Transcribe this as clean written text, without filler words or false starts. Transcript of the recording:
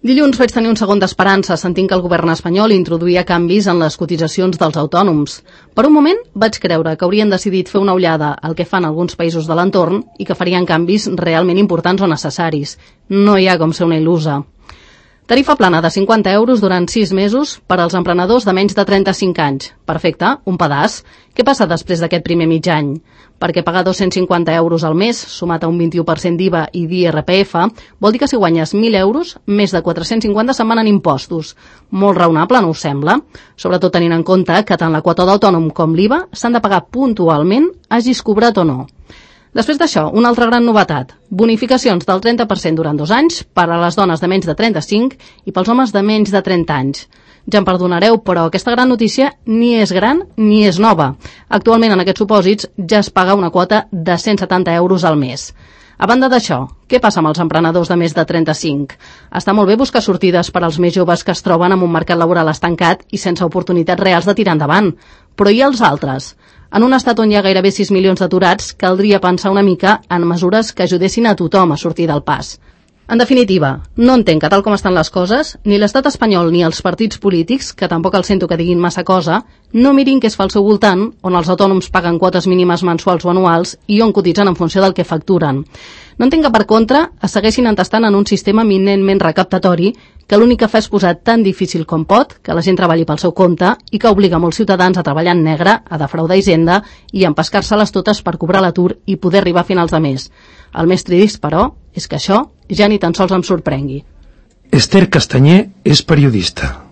Dilluns vaig tenir un segon d'esperança sentint que el govern espanyol introduïa canvis en les cotitzacions dels autònoms. Per un moment vaig creure que haurien decidit fer una ullada al que fan alguns països de l'entorn i que farien canvis realment importants o necessaris. No hi ha com ser una il·lusa. Tarifa plana de 50 euros durant 6 mesos per als emprenedors de menys de 35 anys. Perfecte, un pedaç. Què passa després d'aquest primer mig any? Perquè pagar 250 euros al mes, sumat a un 21% d'IVA i d'IRPF, vol dir que si guanyes 1.000 euros, més de 450 se'n van en impostos. Molt raonable, no us sembla? Sobretot tenint en compte que tant la quota d'autònom com l'IVA s'han de pagar puntualment, hagis cobrat o no. Després d'això, una altra gran novetat. Bonificacions del 30% durant 2 anys per a les dones de menys de 35 i pels homes de menys de 30 anys. Ja em perdonareu, però aquesta gran notícia ni és gran ni és nova. Actualment, en aquests supòsits, ja es paga una quota de 170 euros al mes. A banda d'això, què passa amb els emprenedors de més de 35? Està molt bé buscar sortides per als més joves que es troben en un mercat laboral estancat i sense oportunitats reals de tirar endavant. Però i els altres? En un estat on hi ha gairebé 6 milions d'aturats, caldria pensar una mica en mesures que ajudessin a tothom a sortir del pas. En definitiva, no entenc que tal com estan les coses, ni l'estat espanyol ni els partits polítics, que tampoc els sento que diguin massa cosa, no mirin què es fa al seu voltant, on els autònoms paguen quotes mínimes mensuals o anuals i on cotitzen en funció del que facturen. No entenc que, per contra, es segueixin entestant en un sistema eminentment recaptatori que l'únic que fa és posar tan difícil com pot que la gent treballi pel seu compte i que obliga molts ciutadans a treballar en negre, a defraudar Hisenda i a empescar-se-les totes per cobrar l'atur i poder arribar a finals de mes. El més trist, però, és que això ja ni tan sols em sorprengui. Esther Castanyer és periodista.